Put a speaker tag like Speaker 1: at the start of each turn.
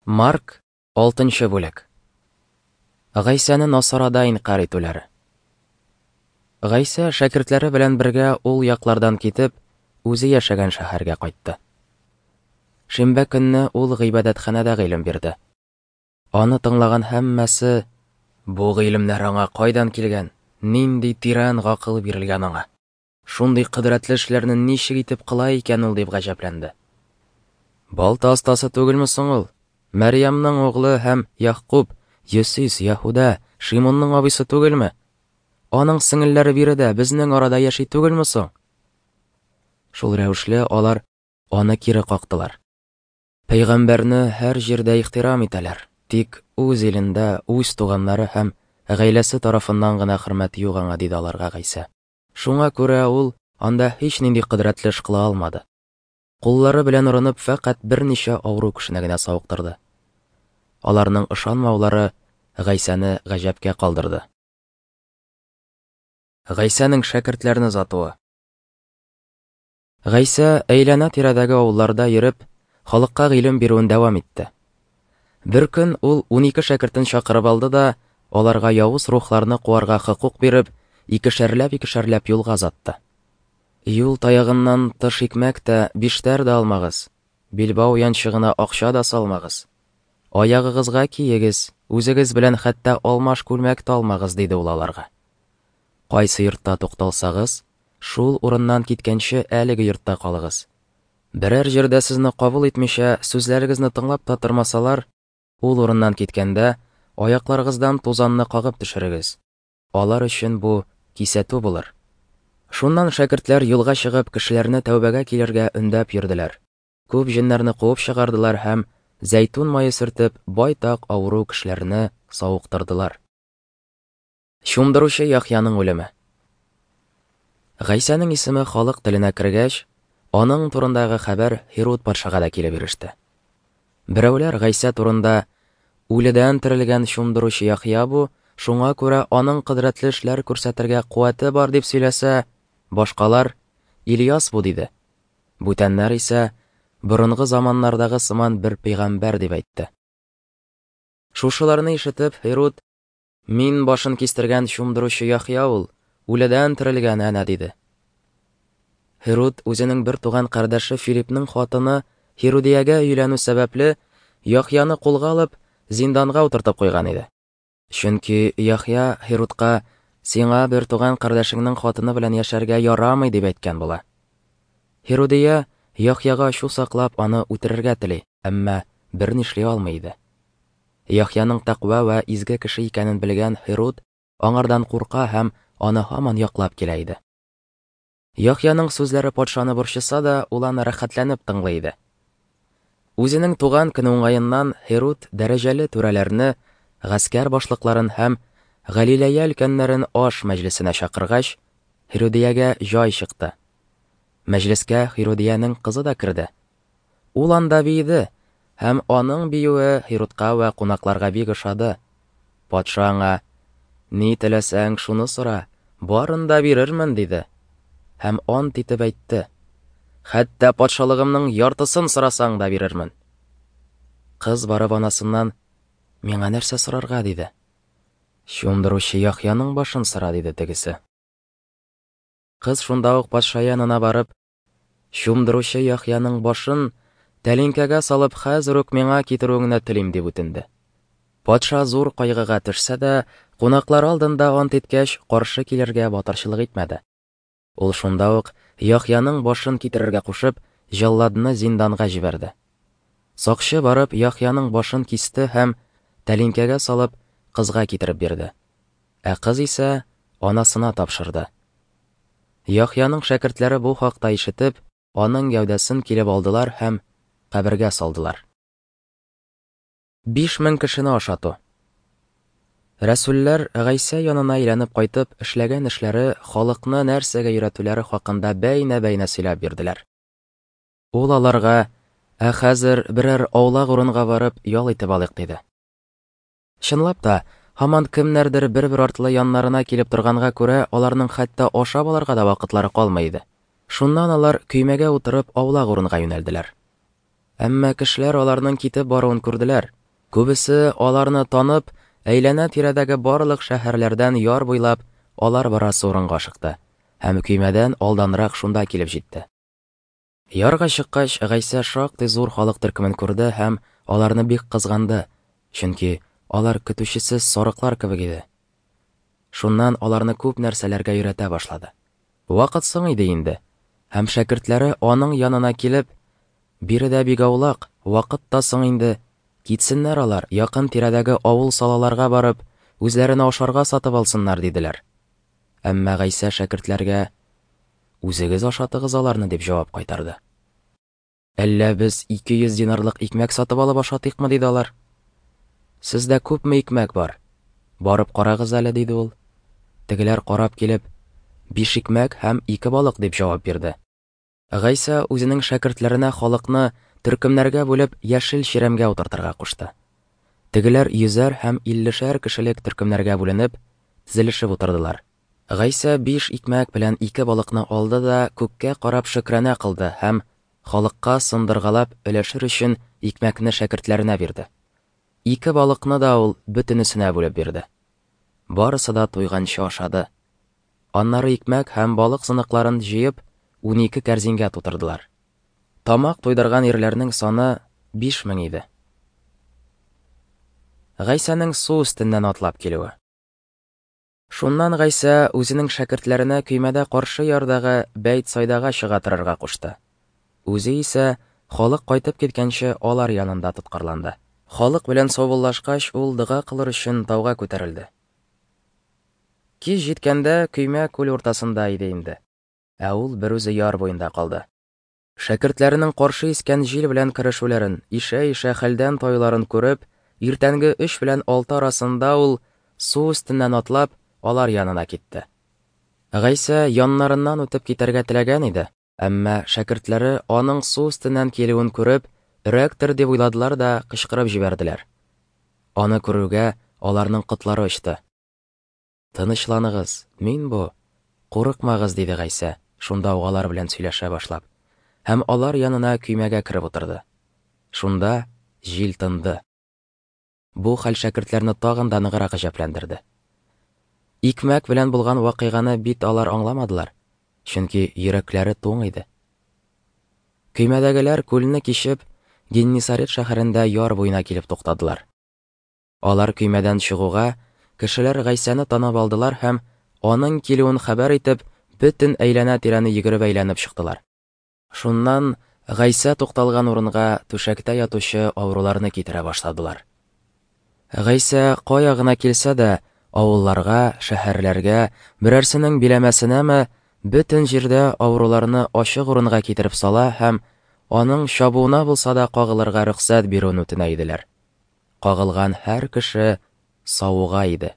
Speaker 1: Марк, 6 бүлек. Гайсәне Насарада инкарь итүләре. Гайсә шәкертләре белән бергә ул яклардан китеп, үзе яшәгән шәһәргә кайтты. Шимбә көнне ул гыйбадәтханәдә гыйлем бирде. Аны тыңлаган һәммәсе: "Бу гыйлемнәр аңа кайдан килгән? Нинди тирән гакыл бирелгән аңа? Шундый кодрәтле эшләрне ничек итеп кыла икән ул?" дип гаҗәпләнде. Балта остасы түгелме соң ул? Мәрьямның углы һәм Ягъкуб, Йосис, Яһүдә, Шимунның абыйсы түгелме? Аның сеңелләре биредә, безнең арада яши түгелме соң? Шул рәвешле алар аны кире кактылар. Пәйгамбәрне һәр җирдә ихтирам итәләр, тик үз илендә, үз туганнары һәм гаиләсе тарафыннан гына хөрмәт юк аңа, диде аларга Гайсә. Шуңа күрә ул анда һичнинди кодрәтле эш кыла алмады. Куллары белән орынып, фәкать берничә авыру кешене генә савыктырды. Аларның ышанмаулары Гайсәне гаҗәпкә калдырды. Гайсәнең шәкертләрне озатуы. Гайсә әйләнә-тирәдәге авылларда йөреп, халыкка гыйлем бирүен дәвам итте. Бер көн ул 12 шәкертен чакырып алды да, аларга явыз рухларны куарга хокук биреп, икешәрләп-икешәрләп юлга озатты. Юл таягыннан тыш икмәк тә, биштәр дә алмагыз, билбау янчыгына акча да салмагыз. Аягыгызга киегез, үзегез белән хәтта алмаш күлмәк тә алмагыз, диде ул аларга. Кайсы йортта тукталсагыз, шул урыннан киткәнче әлеге йортта калыгыз. Берәр җирдә сезне кабул итмичә, сүзләрегезне тыңлап та тормасалар, ул урыннан киткәндә, аякларыгыздан тузанны кагып төшерегез. Алар өчен бу кисәтү булыр. Шуннан шәкертләр юлга чыгып, кешеләрне тәүбәгә килергә өндәп йөрделәр. Күп җеннәрне куып чыгардылар һәм зәйтүн мае сөртеп, байтак авыру кешеләрне савыктырдылар. Чумдыручы Яхъяның үлеме. Гайсәнең исеме халык теленә кергәч, аның турындагы хәбәр Һируд патшага да килеп иреште. Берәүләр Гайсә турында: Үледән терелгән чумдыручы Яхъя бу, шуңа күрә аның кодрәтле эшләр күрсәтергә куәте бар, дип сөйләсә, башкалар: Ильяс бу, диде. Бүтәннәр исә: Борынгы заманнардагы сыман бер пәйгамбәр, дип әйтте. Шушыларны ишетеп, Һируд: Мин башын кистергән чумдыручы Яхъя ул, үледән терелгән әнә, диде. Һируд үзенең бер туган кардәше Филипның хатыны Һирудиягә өйләнү сәбәпле, Яхъяны кулга алып, зинданга утыртып куйган иде. Чөнки Яхъя Һирудка: Сиңа бер туган кардәшеңнең хатыны белән яшәргә ярамый, дип әйткән була. Һирудия Яхъяга ачу саклап, аны үтерергә тели, әмма бернишли алмый иде. Яхъяның тәкъва вә изге кеше икәнен белгән Һируд аңардан курка һәм аны һаман яклап килә иде. Яхъяның сүзләре патшаны борчыса да, ул аны рәхәтләнеп тыңлый иде. Үзенең туган көне уңаеннан Һируд дәрәҗәле түрәләрне, гаскәр башлыкларын һәм Галиләя өлкәннәрен аш мәҗлесенә чакыргач, Һирудиягә җай чыкты. Мәҗлескә Һирудиянең кызы да керде. Ул анда биеде, һәм аның биюе Һирудка вә кунакларга бик ошады. Патша аңа: Ни теләсәң, шуны сора, барын да бирермен, диде. Һәм ант итеп әйтте: Хәтта патшалыгымның яртысын сорасаң да бирермен. Кыз барып анасыннан: Миңа нәрсә сорарга? диде. Чумдыручы Яхъяның башын сора, диде тегесе. Кыз шунда ук патша янына барып: Чумдыручы Яхъяның башын тәлинкәгә салып хәзер үк миңа китерүеңне телим, дип үтенде. Патша зур кайгыга төшсә дә, кунаклар алдында ант иткәч, каршы килергә батырчылык итмәде. Ул шунда ук Яхъяның башын китерергә кушып, җәлладны зинданга җибәрде. Сакчы барып Яхъяның башын кисте һәм тәлинкәгә салып кызга китереп бирде. Ә кыз исә анасына тапшырды. Яхъяның шәкертләре бу хакта ишетеп, аның гәүдәсен килеп алдылар һәм кабергә салдылар. 5000 кешене ашату. Рәсүлләр Гайсә янына әйләнеп кайтып, эшләгән эшләре, халыкны нәрсәгә өйрәтүләре хакында бәйнә-бәйнә сөйләп бирделәр. Ул аларга: Ә хәзер берәр аулак урынга барып ял итеп алыйк, диде. Чынлап та, һаман кемнәрдер бер-бер артлы яннарына килеп торганга күрә, аларның хәтта ашап алырга да вакытлары калмый иде. Шуннан алар көймәгә утырып аулак урынга юнәлделәр. Әмма кешеләр аларның китеп баруын күрделәр. Күбесе аларны танып, әйләнә-тирәдәге барлык шәһәрләрдән яр буйлап алар барасы урынга ашыкты һәм көймәдән алданрак шунда килеп җитте. Ярга чыккач, Гайсә шактый зур халык төркемен күрде һәм аларны бик кызганды, чөнки алар көтүчесез сарыклар кебек иде. Шуннан аларны күп нәрсәләргә өйрәтә башлады. Вакыт соң иде инде, һәм шәкертләре аның янына килеп, Биредә бик аулак, вакыт та соң инде, китсеннәр алар, якын тирәдәге авыл-салаларга барып, үзләренә ашарга сатып алсыннар, диделәр. Әмма Гайсә шәкертләргә, Үзегез ашатыгыз аларны, дип җавап кайтарды. Әллә без 200 динарлык икмәк сатып алып ашатыйкмы, диде алар. Сездә күпме икмәк бар? Барып карагыз әле, диде ул. Тегеләр карап килеп, Биш икмәк һәм ике балык, дип җавап бирде. Гайсә үзенең шәкертләренә халыкны төркемнәргә бүлеп яшел чирәмгә утыртырга кушты. Тегеләр йөзәр һәм иллешәр кешелек төркемнәргә бүленеп, тезелешеп утырдылар. Гайсә биш икмәк белән ике балыкны алды да күккә карап шөкрана кылды һәм халыкка сындыргалап өләшер өчен икмәкне шәкертләренә бирде. Ике балыкны да ул бөтенесенә бүлеп бирде. Барысы да туйганчы ашады. Аннары икмәк һәм балык сыныкларын җыеп, 12 кәрзингә тутырдылар. Тамак туйдырган ирләрнең саны 5000 иде. Гайсәнең су өстеннән атлап килүе. Шуннан Гайсә үзенең шәкертләренә көймәдә каршы ярдагы Бәйтсайдага чыга торырга кушты. Үзе исә, халык кайтып киткәнче, алар янында тоткарланды. Халык белән саубуллашкач, ул дога кылыр өчен тауга күтәрелде. Кич җиткәндә, көймә күл уртасында иде инде, ә ул берүзе яр буенда калды. Шәкертләренең каршы искән җил белән көрәшүләрен, ишә-ишә хәлдән таюларын күреп, иртәнге өч белән алты арасында ул, су өстеннән атлап, алар янына китте. Гайсә яннарыннан үтеп китәргә теләгән иде, әмма шәкертләре аның су өстеннән килүен күреп, өрәктер дип уйладылар да кычкырып җибәрделәр. Аны күрүгә, аларның котлары очты. Тынычланыгыз, мин бу, курыкмагыз, диде Гайсә, шунда ук алар белән сөйләшә башлап. Һәм алар янына көймәгә кереп утырды. Шунда җил тынды. Бу хәл шәкертләрне тагын да ныграк гаҗәпләндерде. Икмәк белән булган вакыйганы бит алар аңламадылар, чөнки йөрәкләре туң иде. Көймәдәгеләр күлне кичеп, Геннисарет шәһәрендә яр буена килеп туктадылар. Алар көймәдән чыгуга, кешеләр Гайсәне танып алдылар һәм, аның килүен хәбәр итеп, бөтен әйләнә-тирәне йөгереп әйләнеп чыктылар. Шуннан Гайсә тукталган урынга түшәктә ятучы авыруларны китерә башладылар. Гайсә кая гына килсә дә, авылларга, шәһәрләргә, берәрсенең биләмәсенәме, бөтен җирдә авыруларны ачык урынга китереп сала һәм аның чабуына булса да кагылырга рөхсәт бирүен үтенә иделәр. Кагылган һәр кеше савыга иде.